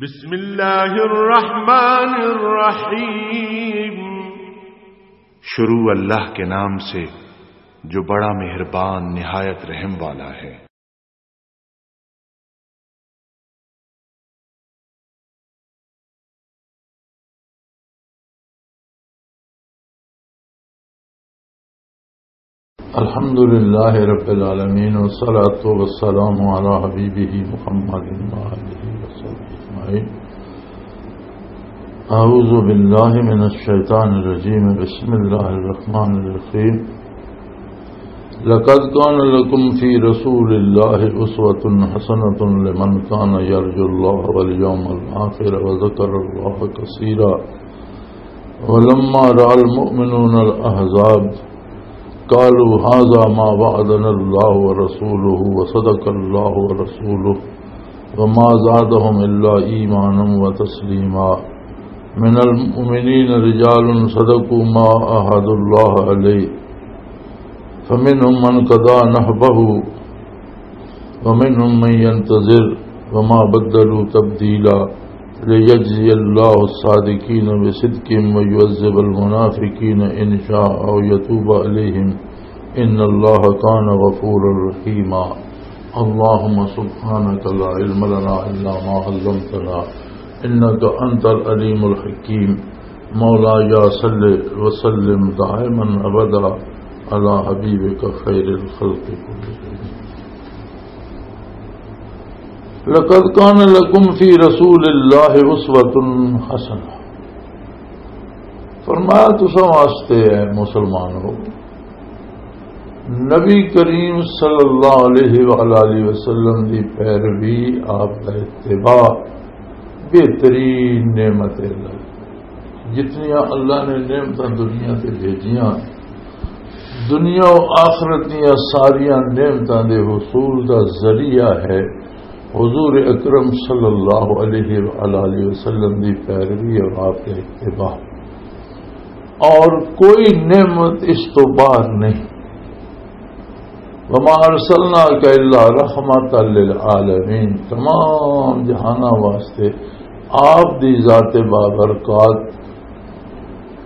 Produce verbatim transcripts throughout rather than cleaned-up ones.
بسم اللہ الرحمن الرحیم۔ شروع اللہ کے نام سے جو بڑا مہربان نہایت رحم والا ہے۔ الحمد لله رب العالمين، والصلاة والسلام على حبيبه محمد وآله وصحبه أجمعين. أعوذ بالله من الشيطان الرجيم. بسم الله الرحمن الرحيم. لقد كان لكم في رسول الله أسوة حسنة لمن كان يرجو الله واليوم الآخر وذكر الله كثيرا. ولما رأى المؤمنون الأحزاب قالوا هذا ما وعدنا الله ورسوله وصدق الله ورسوله وما زادهم إلا إيمانا وتسليما. من المؤمنين رجال صدقوا ما عاهدوا الله عليه فمنهم من قضى نحبه ومنهم من ينتظر وما بدلوا تبديلا. ليجزي الله الصادقين بصدقهم ويعذب المنافقين إن شاء أو يتوب عليهم إن الله كان غفورا رحيما. اللهم سبحانك لا علم لنا إلا ما علمتنا إنك أنت العليم الحكيم. مولاي صل وسلم دائما أبدا على حبيبك خير الخلق كلهم. لقد كان لكم في رسول الله أسوة حسنة. فرمایا، تساں واسطے اے مسلمانو، نبی کریم صلی اللہ علیہ وآلہ وسلم دی پیروی، آپ دا اتباع بہترین نعمت ہے۔ جتنیاں اللہ نے نعمتاں دنیا تے بھیجیاں، دنیا و آخرت دیاں ساریاں نعمتاں دے حصول دا ذریعہ ہے حضور اکرم صلی اللہ علیہ وآلہ وسلم دی پیروی اور آپ کا اتباع۔ اور کوئی نعمت اس تو باہر نہیں۔ وما ارسلناک الا رحمتا للعالمین، تمام جہاناں واسطے آپ دی ذات بابرکات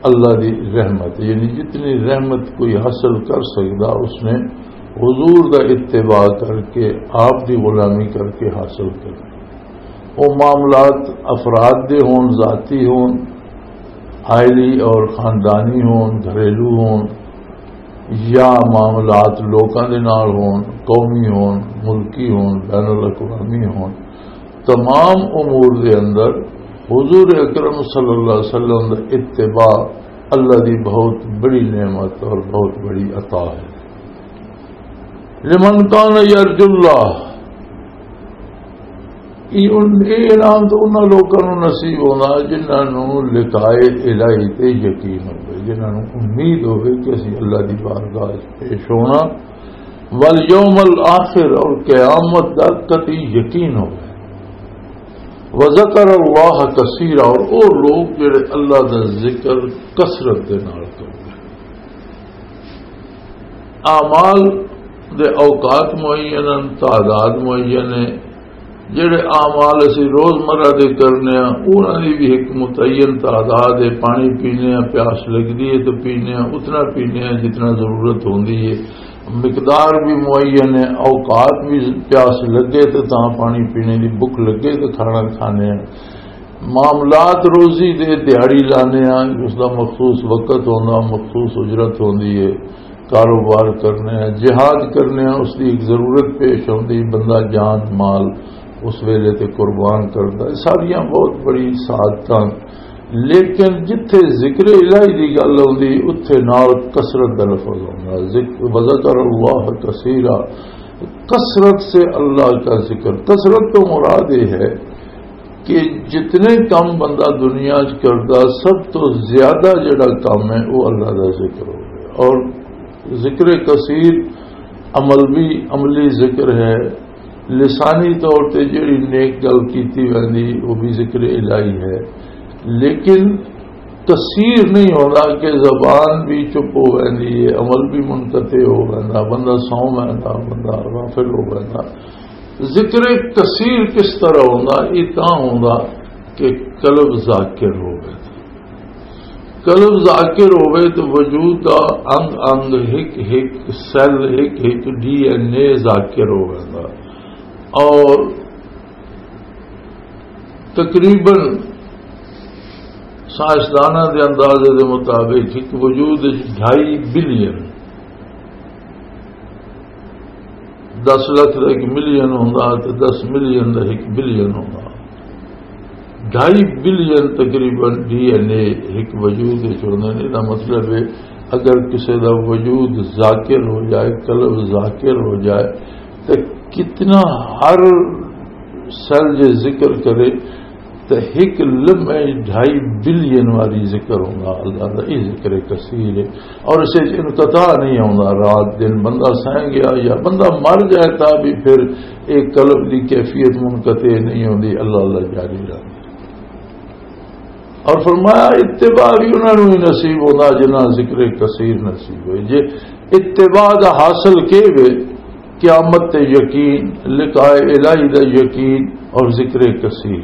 اللہ دی رحمت، یعنی جتنی رحمت کوئی حاصل کر سکدا، اس نے حضور دا اتباع کر کے، آپ دی غلامی کر کے حاصل کر۔ وہ معاملات افراد دے ہون، ذاتی ہون، عائلی اور خاندانی ہون، گھریلو ہون، یا معاملات لوکاں دے نال ہون، قومی ہون، ملکی ہون، بین الاقوامی ہون، تمام امور دے اندر حضور اکرم صلی اللہ علیہ وسلم دا اتباع اللہ دی بہت بڑی نعمت اور بہت بڑی عطا ہے۔ لمن کان یرجو اللہ، یہ ان-، یہ انعام تو انہاں لوکاں نوں نصیب ہونا جنہاں نوں لقائے الہی تے یقین ہوئے، جنہاں نوں امید ہوئے کہ اسی اللہ دی بارگاہ وچ پیش ہونا، والیوم الآخر، اور قیامت دا قطعی یقین ہوئے، وذکر اللہ کثیرا، اور وہ لوگ جڑے اللہ دا ذکر کثرت دے نال کرتے ہیں۔ اعمال دے اوقات معین ہیں، تعداد معین ہے۔ جڑے اعمال اسی روزمرہ دے کرنے ہیں، انہاں دی بھی ایک متعین تعداد ہے۔ پانی پینے ہیں، پیاس لگدی ہے تو پینے ہیں، اتنا پینے ہیں جتنا ضرورت ہوندی ہے۔ مقدار بھی معین ہے، اوقات بھی، پیاس لگے تو تاں پانی پینے دی، بھوک لگے تو کھانا کھانے ہیں۔ معاملات روزی دے، دیہاڑی لانے ہیں، اس دا مخصوص وقت ہوندا، مخصوص اجرت ہوندی ہے، کاروبار کرنے ہیں، جہاد کرنے ہیں، اس دی ایک ضرورت پیش ہوندی، بندہ جان مال اس ویلے تے قربان کردا ہے۔ ساریاں بہت بڑی سعادتاں، لیکن جتھے ذکر الہی دی گل ہوندی، اتھے نال کثرت دا لفظ ہوندا، ذکر، وذکر اللہ کثیرا، کثرت سے اللہ کا ذکر۔ کثرت تو مراد یہ ہے کہ جتنے کم بندہ دنیا چ کردا، سب تو زیادہ جڑا کم ہے، وہ اللہ دا ذکر ہو گیا۔ اور ذکر کثیر عمل بھی، عملی ذکر ہے۔ لسانی طور تے جڑی نیک گل کیتی ویندی، وہ بھی ذکر الہی ہے۔ لیکن کثیر نہیں ہوندا کہ زبان بھی چپ ہو ویندی ہے، عمل بھی منقطع ہو ویندا، بندہ سو ویندا، بندہ غافل ہو ویندا۔ ذکر کثیر کس طرح ہوندا؟ یہ تاں ہوندا کہ قلب ذاکر ہوئے۔ قلب ذاکر ہوئے تو وجود دا انگ انگ، ہک ہک سیل، ہک ہک ڈی این اے ذاکر ہو ویندا۔ اور تقریباً سائنسداناں دے اندازے دے مطابق ایک وجود وچ ڈھائی بلین، دس لکھ دا ایک ملین ہوندا تے دس ملین دا ایک بلین ہوندا۔ ڈھائی بلین تقریباً ڈی این اے ایک وجود وچ ہوندے نے۔ دا مطلب ہے، اگر کسی دا وجود ذاکر ہو جائے، قلب ذاکر ہو جائے، تو کتنا ہر سیل جے ذکر کرے، تے ہک لمحے ڈھائی بلین واری ذکر ہوندا۔ اللہ دا یہ ذکر کثیر ہے، اور اس وچ انقطاع نہیں ہوندا۔ رات دن بندہ سہ گیا یا بندہ مر جائے، تا بھی پھر ایک قلب دی کیفیت منقطع نہیں ہوندی، اللہ اللہ جاری رہندی۔ اور فرمایا، اتباع بھی انہاں نوں ہی نصیب ہوندا جنہاں ذکر کثیر نصیب ہوئے۔ جے اتباع دا حاصل کے وے؟ قیامت تے یقین، لقاء الہی دا یقین اور ذکر کثیر۔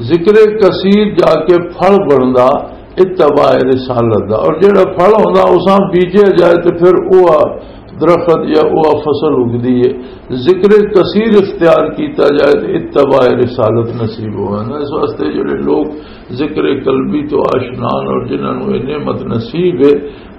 ذکر کثیر جا کے پھل بندا اتباع رسالت دا، اور جڑا پھل ہوندا اساں بیجیا جائے تے پھر او درخت یا او فصل اگدی ہے۔ ذکر کثیر اختیار کیتا جائے تے اتباع رسالت نصیب ہونا۔ اس واسطے جڑے لوگ ذکر قلبی تو آشنا ہن اور جنہاں نوں یہ نعمت نصیب ہے،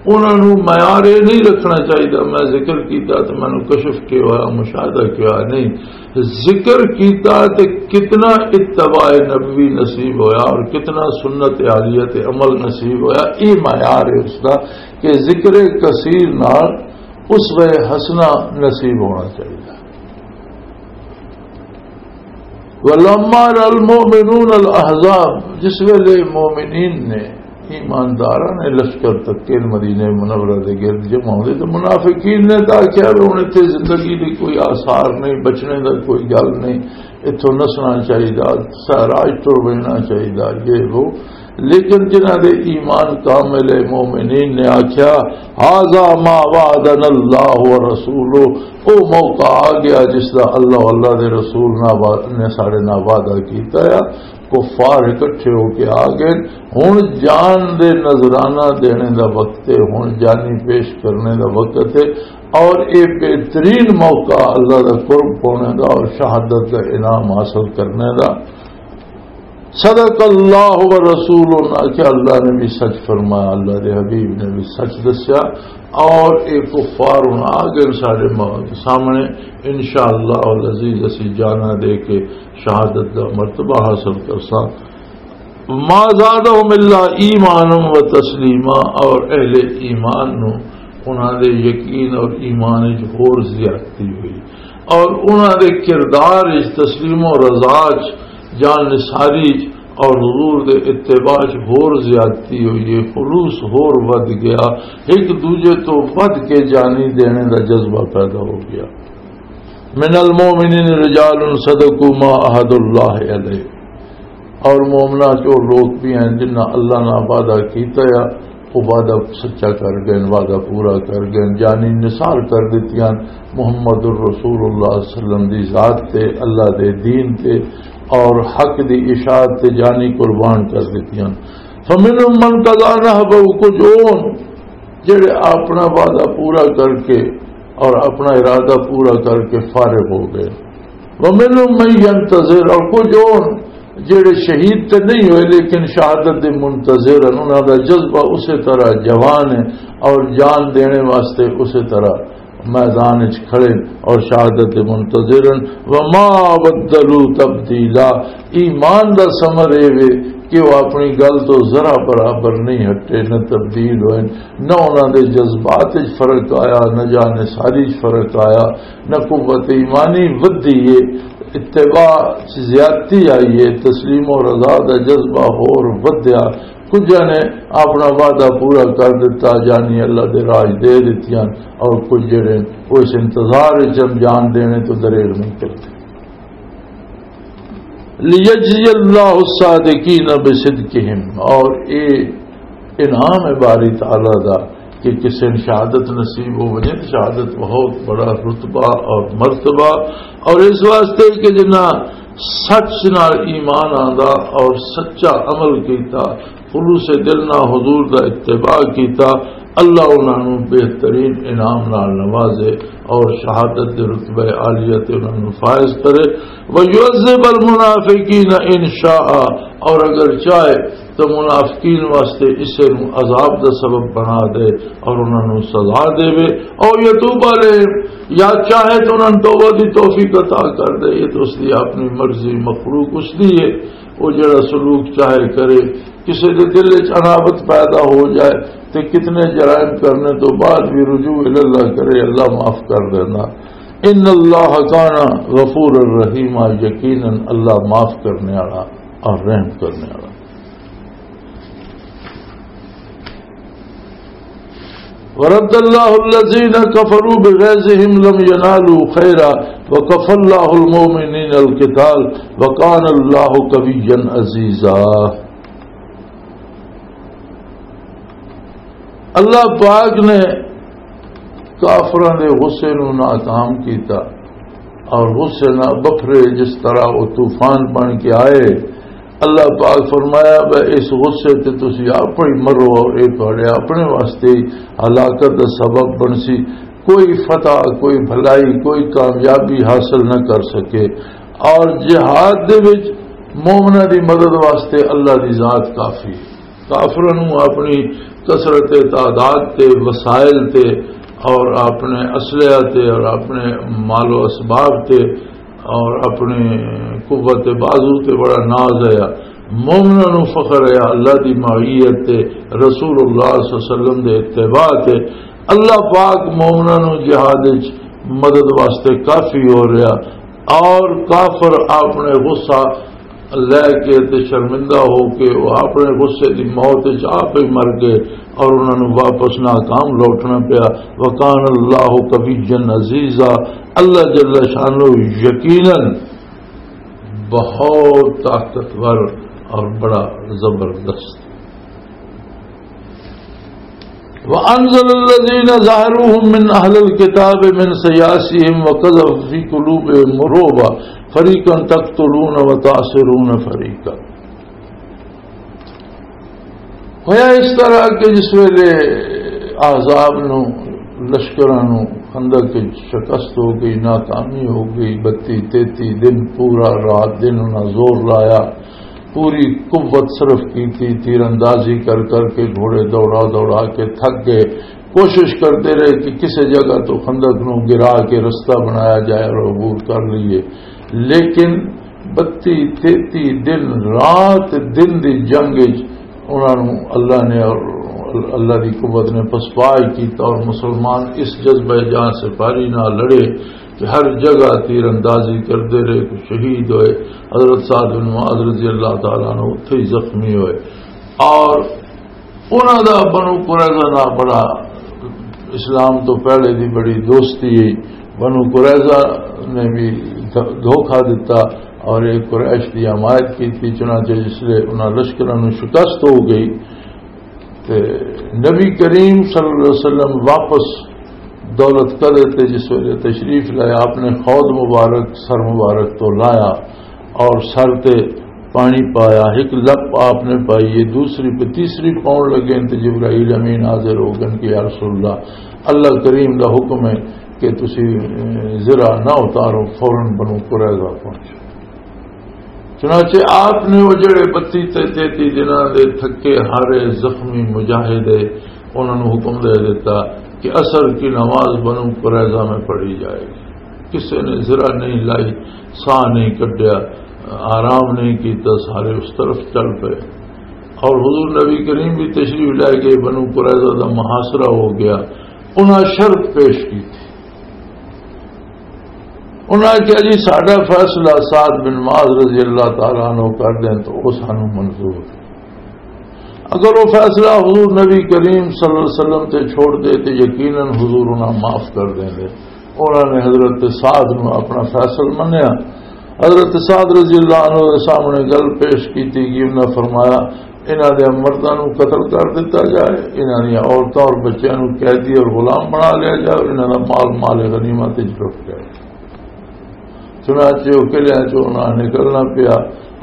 انہاں نوں معیار یہ نہیں رکھنا چاہیے، میں ذکر کیتا تے مینوں کشف کیا ہویا، مشاہدہ کیا ہویا، نہیں۔ ذکر کیتا تے کتنا اتباع نبوی نصیب ہویا اور کتنا سنت عالیہ تے عمل نصیب ہویا، یہ معیار ہے اس دا، کہ ذکر کثیر نال اسوہ حسنہ نصیب ہونا چاہیے۔ ولما رأى المؤمنون الأحزاب، جس ویلے مومنین نے، ایمانداراں نے لشکر تکے مدینے منورہ دے گرد جمع ہوندے، تے منافقین نے تاں آکھیا، "ہن اتھے زندگی دی کوئی آثار نہیں، بچنے دا کوئی گل نہیں، اتھوں نسنا چاہیدا، سہراج ٹر وینا چاہیدا، یہ وہ۔" لیکن جنہاں دے ایمان کامل ہے، مومنین نے آکھیا، "هذا ما وعدنا الله ورسوله"، او موقع آ گیا جس دا اللہ، اللہ دے رسول نہ وا-، نے ساڈے نال وعدہ کیتا ہے۔ کفار اکٹھے ہو کے آ گئے۔ ہن جان دے نذرانہ دینے دا وقت ہے، ہن جانی پیش کرنے دا وقت ہے، اور اے بہترین موقع اللہ دا قرب پانے دا اور شہادت دا انعام حاصل کرنے دا۔ صدق اللہ و رسول، کہ اللہ نے بھی سچ فرمایا، اللہ دے حبیب نے بھی سچ دسیا، اور اے کفار ہن آ گئے سارے م-، سامنے۔ انشاءاللہ العزیز اسی جانا دے کے شہادت دا مرتبہ حاصل کرساں۔ ما زادهم الا ایمانا و تسلیما، اور اہل ایمان نو انہاں دے یقین اور ایمان وچ ہور زیادتی ہوئی، اور انہاں دے کردار وچ تسلیم و رضا وچ، جان نثاری وچ اور حضور دے اتباع وچ ہور زیادتی ہوئی ہے، خلوص ہور ودھ گیا، ایک دوجے تو ودھ کے جانی دینے دا جذبہ پیدا ہو گیا۔ من المؤمنین رجال صدقوا ما عاهدوا الله عليه، اور مومناں چ او لوگ بھی ہیں جنہاں اللہ نال وعدہ کیتا ہے، او وعدہ سچا کر گئے، وعدہ پورا کر گئے، جانی نثار کر دتیاں محمد الرسول اللہ صلی اللہ علیہ وسلم دی ذات تے، اللہ دے دین تے، اور حق دی اشاعت تے جانی قربان کر دتیاں۔ فمنهم من قضى نحبه، کچھ اون جڑے اپنا وعدہ پورا کر کے اور اپنا ارادہ پورا کر کے فارغ ہو گئے۔ ومنهم من ينتظر، اور کچھ اور جڑے شہید تے نہیں ہوئے لیکن شہادت دے منتظر ہیں، انہاں دا جذبہ اسی طرح جوان ہے اور جان دینے واسطے اسی طرح میدان وچ کھڑے اور شہادت دے منتظر ہیں۔ وما بدلوا تبدیلا، ایمان دا ثمر اے وے کہ وہ اپنی گل تو ذرا برابر نہیں ہٹے، نہ تبدیل ہوئے، نہ انہاں دے جذبات وچ فرق آیا، نہ جان ساری وچ فرق آیا، نہ قوت ایمانی ودھی ہے، اتباع چ زیادتی آئی ہے، تسلیم و رضا دا جذبہ ہور ودھیا۔ کجھاں نے اپنا وعدہ پورا کر دتا، جانی اللہ دے راج دے دتیاں، اور کچھ جڑے وہ اس انتظار وچ ہم جان دینے تو دریغ نہیں کرتے۔ لیجزی اللہ الصادقین بصدقہم، اور اے انعام ہے باری تعالیٰ دا کہ کسی نے شہادت نصیب ہو وجے تو شہادت بہت بڑا رتبہ اور مرتبہ، اور اس واسطے کہ جنہ سچ نال ایمان آندا اور سچا عمل کیتا، خلوص دل نال حضور دا اتباع کیتا، اللہ انہاں نوں بہترین انعام نال نوازے اور شہادت دے رتبہ عالیہ تے انہاں نوں فائز کرے۔ وَيُعَذِّبَ الْمُنَافِقِينَ إِنْ شَاءَ، اور اگر چاہے تو منافقین واسطے اسے نوں عذاب دا سبب بنا دے اور انہاں نوں سزا دے وے۔ او یتوب علیہم، یا چاہے تو انہاں نوں توبہ دی توفیق عطا کر دے، یہ تو اس دی اپنی مرضی، مخلوق اس دی ہے، وہ جڑا سلوک چاہے کرے۔ کسے دے دل وچ عنابت پیدا ہو جائے تے کتنے جرائم کرنے تو بعد بھی رجوع اللہ کرے، اللہ معاف کر دینا۔ ان اللہ کان غفور الرحیم، یقیناً اللہ معاف کرنے والا اور رحم کرنے والا۔ ورد اللہ الذین کفروا بغیظہم لم ینالوا خیرا وکفى اللہ المؤمنین القتال وکان اللہ قویا عزیزا۔ اللہ پاک نے کافراں دے غصے نوں ناکام کیتا، اور غصے نہ بکھرے، جس طرح وہ طوفان بن کے آئے۔ اللہ پاک فرمایا، "بے اس غصے تے تسی آپ ہی مرو، اور اے تہاڈے اپنے واسطے ہی ہلاکت دا سبب بنسی۔" کوئی فتح، کوئی بھلائی، کوئی کامیابی حاصل نہ کر سکے۔ اور جہاد دے وچ مومناں دی مدد واسطے اللہ دی ذات کافی ہے۔ کافراں نوں اپنی کثرت تعداد تے، وسائل تے، اور اپنے اسلحہ تے، اور اپنے مال و اسباب تے، اور اپنے قوت بازو تے بڑا ناز ہے۔ مومناں نوں فخر ہے اللہ دی معیت تے، رسول اللہ صلی اللہ علیہ وسلم دے اتباع تے۔ اللہ پاک مومناں نوں جہاد وچ مدد واسطے کافی ہو رہا، اور کافر اپنے غصہ لے کے تے شرمندہ ہو کے وہ اپنے غصے دی موت وچ آپ ہی مر گئے، اور انہاں نوں واپس ناکام لوٹنا پیا۔ وکان اللہ قویا عزیزا، اللہ جل شانہ یقیناً بہت طاقتور اور بڑا زبردست۔ وَأَنزَلَ الَّذِينَ ظَاهَرُوهُم مِّنْ أَهْلِ الْكِتَابِ مِنْ سَيَاسِيهِمْ وَقَذَفَ فِي قُلُوبِهِمُ الرُّعْبَ فَرِيقًا تَقْتُلُونَ وَتَأْسِرُونَ فَرِيقًا۔ ہویا اس طرح کہ جس ویلے احزاب نو، لشکراں نو خندق وچ شکست ہو گئی، ناکامی ہو گئی، بتی تینتی دن، پورا رات دن انہاں زور لایا، پوری قوت صرف کی تھی، تیر اندازی کر کر کے گھوڑے دوڑا دوڑا کے تھک گئے، کوشش کرتے رہے کہ کسی جگہ تو خندق نو گرا کے رستہ بنایا جائے اور عبور کر لیے، لیکن بتی تینتی دن، رات دن دی جنگ وچ انہاں نوں اللہ نے اور اللہ دی قوت نے پسپا ہی کیتا، اور مسلمان اس جذبہ جان سے پاری نہ لڑے کہ ہر جگہ تیر اندازی کردے رہے، کچھ شہید ہوئے۔ حضرت سعد بن معاذ رضی اللہ تعالیٰ عنہ اتھے ہی زخمی ہوئے۔ اور انہاں دا بنو قریظہ نال بڑا، اسلام تو پہلے دی بڑی دوستی ہے۔ بنو قریظہ نے بھی دھ-، دھوکا دتا، اور ایک قریش دی حمایت کی تھی۔ چنانچہ جس لئے انہاں لشکراں نوں شکست ہو گئی، تے نبی کریم صلی اللہ علیہ وسلم واپس دولت قدر تے جس ویلے تشریف لائے، آپ نے خود مبارک، سر مبارک تو لایا اور سر تے پانی پایا، ایک لپ آپ نے پائی ہے، دوسری پہ تیسری پاؤن لگے تے جبرائیل امین حاضر ہو گئے کہ یا رسول اللہ، اللہ کریم دا حکم ہے کہ تسی، اے، زرہ نہ اتارو، فوراً بنو قریظہ پہنچو۔ چنانچہ آپ نے وہ جڑے بتی تے تینتی دناں دے تھکے ہارے زخمی مجاہد ہے، انہاں نوں حکم دے دیتا کہ عصر کی نماز بنو قریظہ میں پڑھی جائے گی۔ کسے نے ذرا نہیں لائی، ساہ نہیں کڈیا، آرام نہیں کیتا، سارے اس طرف چل پئے۔ اور حضور نبی کریم بھی تشریف لے گئے، بنو قریظہ دا محاصرہ ہو گیا۔ انہاں شرط پیش کی تھی، انہاں کہا، "جی، ساڈا فیصلہ سعد بن معاذ رضی اللہ تعالیٰ عنہ کر دیں تو وہ سانوں منظور ہے۔ اگر وہ فیصلہ حضور نبی کریم صلی اللہ علیہ وسلم تے چھوڑ دے تو یقیناً حضور انہاں معاف کر دیں دے۔" انہاں نے حضرت سعد نو اپنا فیصل منیا۔ حضرت سعد رضی اللہ عنہ دے سامنے گل پیش کی تھی کہ انہاں فرمایا، انہاں دے مرداں نوں قتل کر دتا جائے، انہاں دیاں عورتاں اور بچیاں نوں قیدی اور غلام بنا لیا جائے، اور انہاں دا مال، مال غنیمت وچ رکھ جائے۔ چنانچہ وہ قلعے چوں انہاں نکلنا پیا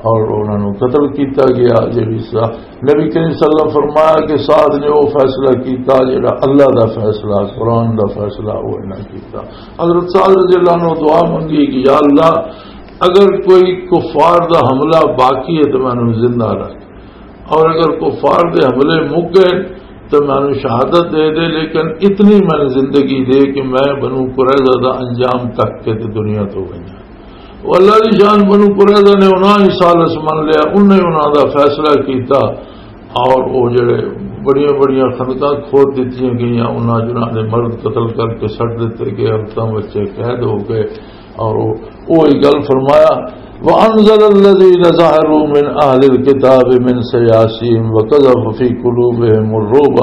اور انہاں نوں قتل کیتا گیا۔ جڑی سا نبی کریم صلی اللہ علیہ وسلم فرمایا کہ سعد نے وہ فیصلہ کیتا جڑا اللہ دا فیصلہ، قرآن دا فیصلہ وہ نہ کیتا۔ حضرت سعد رضی اللہ عنہ دعا منگی کہ یا اللہ، اگر کوئی کفار دا حملہ باقی ہے تو مینوں زندہ رکھ، اور اگر کفار دے حملے مک گئے تو مینوں شہادت دے دے، لیکن اتنی میں زندگی دے کہ میں بنو قریظہ دا انجام تک کے تے دنیا تو گئی۔ وہ اللہ دی شان، بنو قریظہ نے انہاں ہی سالس من لیا، انہاں ہی انہاں دا فیصلہ کیتا، اور وہ جڑے بڑیاں بڑیاں خندقاں کھود دتیاں گئیاں، انہاں جنہاں دے مرد قتل کر کے سٹ دتے گئے، عورتاں بچے قید ہو گئے، اور وہ وہی گل فرمایا، وَأَنزَلَ الَّذِينَ ظَهَرُوا مِنْ أَهْلِ الْكِتَابِ مِنْ سَيَاسِيهِمْ وَقَذَفَ فِي قُلُوبِهِمُ الرُّعْبَ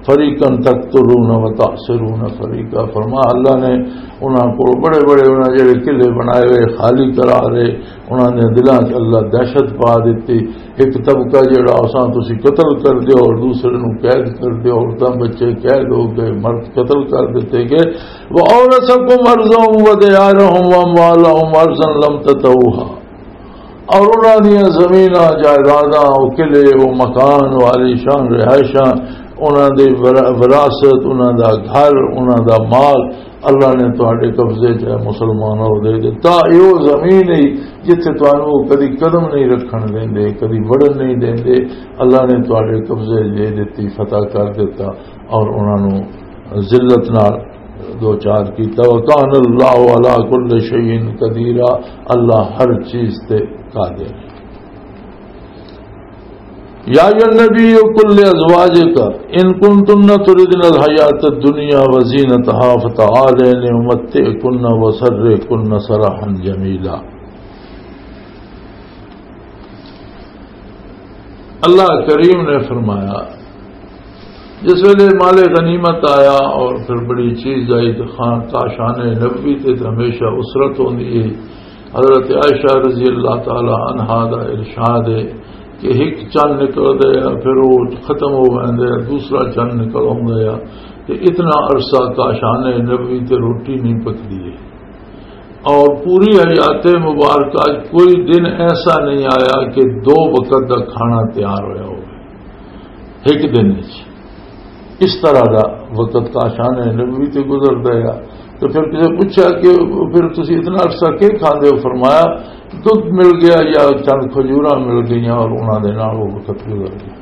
فَرِيقًا تَقْتُلُونَ وَتَأْسِرُونَ فَرِيقًا۔ فرمایا اللہ نے انہاں کو بڑے بڑے، انہاں جڑے قلعے بنائے ہوئے خالی کرا رہے، انہاں نے دلاں 'چ اللہ دہشت پا دتی۔ ایک طبقہ جڑا اساں تسی قتل کر دیو اور دوسرے نوں قید کر دیو، عورتاں بچے قید ہو گئے، مرد قتل کر دیتے گئے۔ وَأَوْرَثَكُمْ أَرْضَهُمْ وَدِيَارَهُمْ وَأَمْوَالَهُمْ أَرْضًا لَمْ تَطَئُوهَا۔ اور انہاں دیاں زمیناں، جائیداداں، او قلعے، او مکان، او عالیشان رہائشاں، انہاں دی ورا-، وراثت، انہاں دا گھر، انہاں دا مال، اللہ نے تہاڈے قبضے 'چ، اے مسلماناں، او دے دتا۔ ایہو زمین ہے جتھے تہانوں او کدی قدم نہیں رکھن دیندے، کدی وڑن نہیں دیندے۔ اللہ نے تہاڈے قبضے 'چ دے دتی، فتح کر دتا اور انہاں نوں ذلت نال دو چار کیتا۔ وَكَانَ اللَّهُ عَلَىٰ كُلِّ شَيْءٍ قَدِيرًا، اللہ ہر چیز تے قادر ہے۔ يا أيها النبي قل لأزواجك إن كنتن تردن الحياة الدنيا وزينتها فتعالين أمتعكن وأسرحكن سراحا جميلا۔ اللہ کریم نے فرمایا، جس ویلے مال غنیمت آیا اور پھر بڑی چیز آئی تو خان کاشان نبوی تے تے ہمیشہ اسرت ہوندی ہے۔ حضرت عائشہ رضی اللہ تعالی عنہا دا ارشاد ہے کہ ایک چند نکل دے، پھر وہ ختم ہو ویندے، دوسرا چند نکل آوندا ہے، تے اتنا عرصہ کاشان نبوی تے روٹی نہیں پکدی ہے۔ اور پوری حیات مبارکہ 'چ کوئی دن ایسا نہیں آیا کہ دو وقت دا کھانا تیار ہویا ہو ایک دن وچ۔ اس طرح دا وقت کاشان نبوی تے گزردا ہے۔ تو پھر کسے پوچھا کہ پھر تسی اتنا عرصہ کی کھاندے ہو؟ فرمایا، دودھ مل گیا یا چند کھجوراں مل گئیاں اور انہاں دے نال وہ وقت گزر گیا۔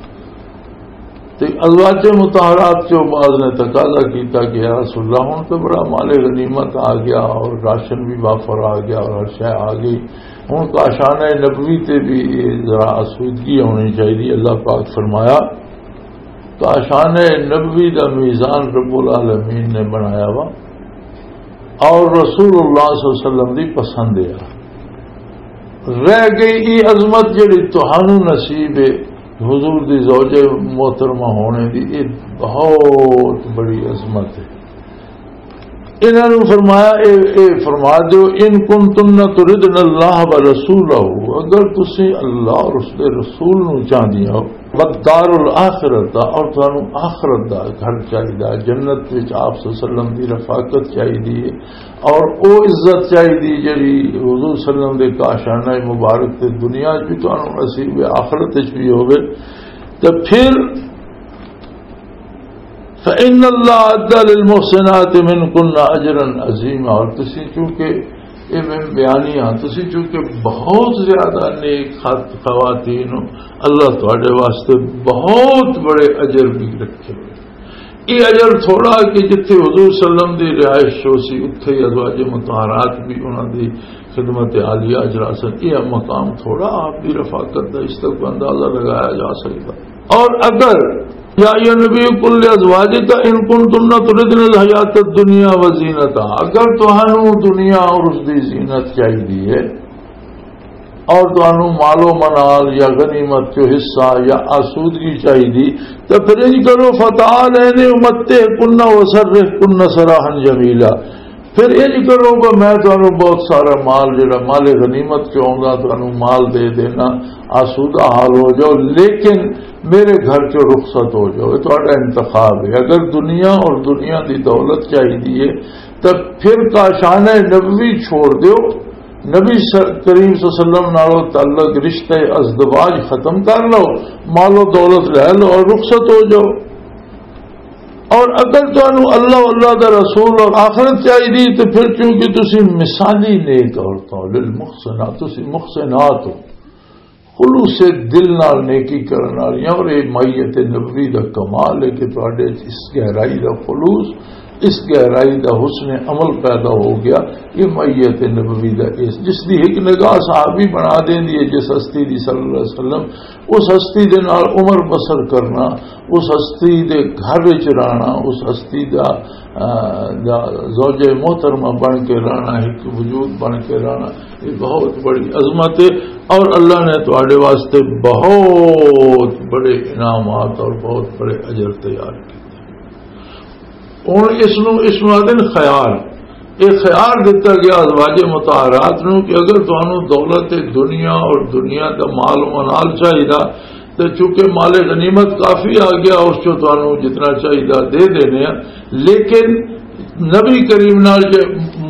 تے ازواج مطہرات چوں بعض نے تقاضا کیتا کہ یا رسول اللہ، ہن تو بڑا مال غنیمت آ گیا اور راشن بھی وافر آ گیا اور ہر شے آ گئی، ہن کاشانہ نبوی تے بھی ذرا آسودگی ہونی چاہیے۔ اللہ پاک فرمایا، کاشانہ نبوی دا میزان رب العالمین نے بنایا وا، اور رسول اللہ صلی اللہ علیہ وسلم دی پسند ہے۔ رہ گئی یہ عظمت جڑی تہانوں نصیب ہے، حضور دی زوج محترمہ ہونے دی، یہ بہت بڑی عظمت ہے۔ انہاں نوں فرمایا، اے، اے فرما دیو، "ان کنتن تردن اللہ و رسولہ"، اگر تسی اللہ اور اس دے رسول نوں چاہندیاں ہو، "والدار الآخرۃ"، اور تانوں آخرت دا گھر چاہیدا، جنت وچ آپ صلی اللہ علیہ وسلم دی رفاقت چاہیدی ہے، اور او عزت چاہیدی جڑی حضور صلی اللہ علیہ وسلم دے کاشانہ مبارک تے دنیا وچ بھی تانوں نصیب ہے، آخرت وچ بھی ہوے، تے پھر فَإِنَّ اللَّهَ أَعَدَّ لِلْمُحْصِنَاتِ مِنْكُنَّ أَجْرًا عَظِيمًا، اور تسی چونکہ یہ میں بیانی ہاں، تسی چونکہ بہت زیادہ نیک خات-، خواتین ہو، اللہ تہاڈے واسطے بہت بڑے اجر بھی رکھے ہوئے۔ یہ اجر تھوڑا کہ جتھے حضور صلی اللہ علیہ وسلم دی رہائش ہو سی، اتھے ہی ازواج مطہرات بھی انہاں دی خدمت عالیہ اجرا سن۔ یہ مقام تھوڑا آپ دی رفاقت دا، اس تک اندازہ لگایا جا سکتا۔ اور اگر، یا ایھا نبی قل لازواجک ان کنتن تردن الحیات الدنیا وزینتہا، اگر تہانوں دنیا اور اس دی زینت چاہیدی ہے، اور تانوں مال و منال یا غنیمت چو حصہ یا آسودگی چاہیدی، تو پھر انج کرو، فتعالین امتعکن وسرحکن سراحا جمیلا۔ پھر انج کرو کہ میں تانوں بہت سارا مال، جڑا مال غنیمت چ آوندا، تانوں مال دے دینا، آسودہ حال ہو جاؤ، لیکن میرے گھر چو رخصت ہو جاؤ۔ یہ تہاڈا انتخاب ہے۔ اگر دنیا اور دنیا دی دولت چاہیدی ہے، تو پھر کاشانہ نبوی چھوڑ دیو، نبی س-، کریم صلی اللہ علیہ وسلم نالو تعلق، رشتہ ازدواج ختم کر لو، مال و دولت لے لو اور رخصت ہو جاؤ۔ اور اگر تانوں اللہ، اللہ دا رسول اور آخرت چاہیے، تو پھر چونکہ تسی مثالی نیک عورتوں، للمحسنات، تسی محسنات ہو، خلوص دل نال نیکی کرن والیاں، اور یہ معیت نبوی دا کمال ہے کہ تواڈے وچ اس گہرائی دا خلوص، اس گہرائی دا حسن عمل پیدا ہو گیا۔ یہ معیت نبوی دا اس، جس دی ایک نگاہ صحابی بنا دیندی ہے، جس ہستی دی صلی اللہ علیہ وسلم، اس ہستی دے نال عمر بسر کرنا، اس ہستی دے گھر وچ رہنا، اس ہستی دا، آ، دا زوجہ محترمہ بن کے رہنا، ایک وجود بن کے رہنا، یہ بہت بڑی عظمت ہے۔ اور اللہ نے تواڈے واسطے بہت بڑے انعامات اور بہت بڑے اجر تیار کیتے۔ ہن اس نوں، اس نوں آدھے نے خیار۔ یہ خیار دتا گیا ازواج مطہرات نوں کہ اگر تانوں دولت دنیا اور دنیا دا مال و منال چاہیدا، تے چونکہ مال غنیمت کافی آ گیا، اس چوں تانوں جتنا چاہیدا دے دینے آ۔ لیکن نبی کریم نال جے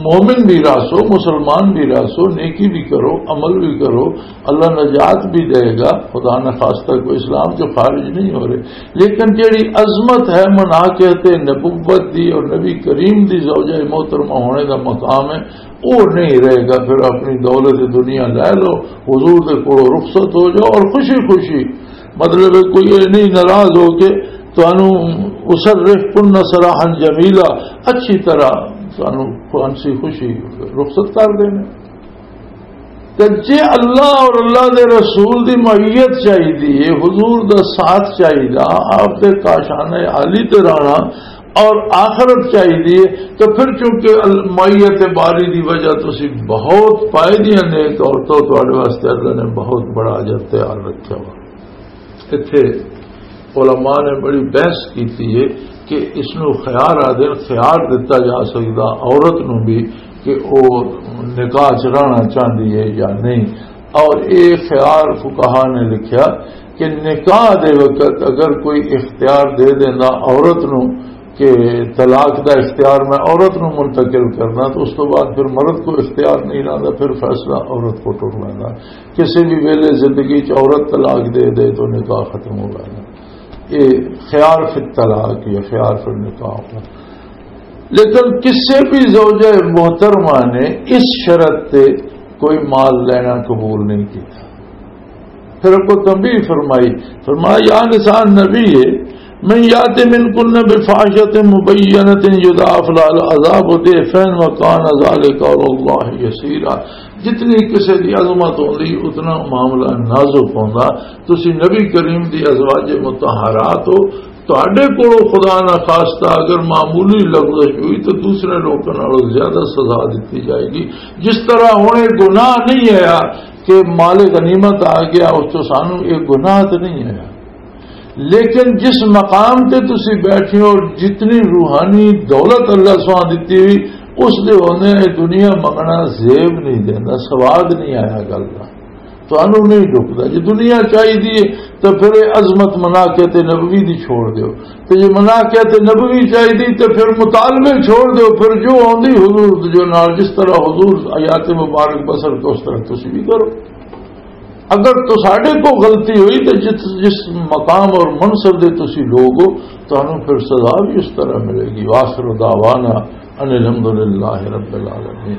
مومن بھی رہسو، مسلمان بھی رہسو، نیکی بھی کرو، عمل بھی کرو، اللہ نجات بھی دے گا، خدا نہ خواستہ کوئی اسلام چوں خارج نہیں ہو رہے۔ لیکن جیڑی عظمت ہے مناقحت نبوت دی اور نبی کریم دی زوجہ محترمہ ہونے دا مقام ہے، وہ نہیں رہے گا۔ پھر اپنی دولت دنیا لے لو، حضور دے کولوں رخصت ہو جاؤ اور خوشی خوشی، مطلب ہے، کوئی یہ نہیں ناراض ہو کے تانوں اسرحکن سراحا جمیلا، اچھی طرح تانوں ہنسی خوشی رخصت کر دینے۔ تے جے اللہ اور اللہ دے رسول دی معیت چاہیدی ہے، حضور دا ساتھ چاہیدا، آپ دے کاشانہ عالی تے رہنا اور آخرت چاہیدی ہے، تو پھر چونکہ ال-، معیت باری دی وجہ تو اسی بہت فائدیاں نے، تو، تو تواڈے واسطے اللہ نے بہت بڑا اجر تیار رکھا ہوا۔ اتھے علماء نے بڑی بحث کیتی ہے کہ اس نو خیار آدھے، خیار دتا جا سکدا عورت نو بھی کہ او نکاح چ رہنا چاہندی ہے یا نہیں۔ اور اے خیار فقہا نے لکھیا کہ نکاح دے وقت اگر کوئی اختیار دے دینا عورت نو کہ طلاق دا اختیار میں عورت نو منتقل کرنا، تو اس تو بعد پھر مرد کو اختیار نہیں رہتا، پھر فیصلہ عورت کو ٹر لینا۔ کسی بھی ویلے زندگی چ عورت طلاق دے دے تو نکاح ختم ہو گیا۔ یہ خیار فی الطلاق یا خیار فی النکاح ہوتا۔ لیکن کسی بھی زوجہ محترمہ نے اس شرط تے کوئی مال لینا قبول نہیں کیتا۔ پھر آپ کو تنبیہ فرمائی، فرمایا، یا نساء النبی، من یات منکن بفاحشۃ مبینۃ یضاعف لها العذاب ضعفین وکان ذلک علی اللہ یسیرا۔ جتنی کسی دی عظمت ہوندی، اتنا معاملہ نازک ہوندا۔ تسی نبی کریم دی ازواج مطہرات ہو، تہاڈے کولوں خدا نہ خواستہ اگر معمولی لغزش ہوئی تو دوسرے لوکاں نالوں زیادہ سزا دتی جائے گی۔ جس طرح ہن یہ گناہ نہیں آیا کہ مال غنیمت آ گیا، اس تو سانو یہ گناہ تو نہیں آیا، لیکن جس مقام تے تسی بیٹھے ہو، جتنی روحانی دولت اللہ سبحانہ دتی ہوئی، اس دے ہوندے یہ دنیا منگنا زیب نہیں دیندا، سواد نہیں آیا گل دا۔ تانوں نہیں ڈکدا۔ جے دنیا چاہیدی ہے تو پھر یہ عظمت مناقحت نبوی دی چھوڑ دیو، تے جے مناقحت نبوی چاہیدی تو پھر مطالبے چھوڑ دیو۔ پھر جو آندی حضور دے جو نال، جس طرح حضور آیات مبارک بسر تو اس طرح تسی بھی کرو۔ اگر تو ساڈے کو غلطی ہوئی تو جس، جس مقام اور منصب دے تسی لوگ ہو، تانوں پھر سزا بھی اس طرح ملے گی۔ وآخر دعوانا ان الحمدللہ رب العالمین۔